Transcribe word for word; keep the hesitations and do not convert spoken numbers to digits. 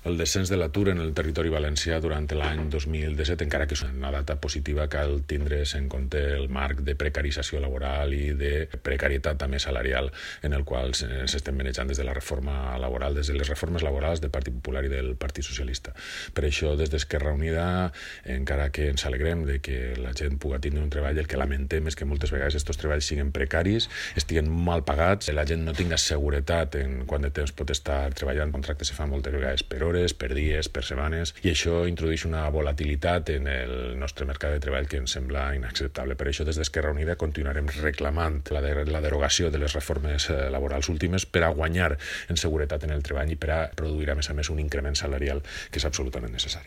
El descens de l'atur en el territori valencià durant l'any dos mil disset, encara que és una data positiva, cal tindre's en compte el marc de precarització laboral i de precarietat també salarial en el qual s'estem manejant des de la reforma laboral, des de les reformes laborals del Partit Popular i del Partit Socialista. Per això, des d'Esquerra Unida, encara que ens alegrem de que la gent pugui tindre un treball, el que lamentem és que moltes vegades aquests treballs siguin precaris, estiguen mal pagats, la gent no tinga seguretat en quant de temps pot estar treballant, contractes se fan moltes vegades per hores, per dies, per setmanes, i això introdueix una volatilitat en el nostre mercat de treball que ens sembla inacceptable. Per això, des d'Esquerra Unida continuarem reclamant la, de, la derogació de les reformes laborals últimes per a guanyar en seguretat en el treball i per a produir, a més a més, un increment salarial que és absolutament necessari.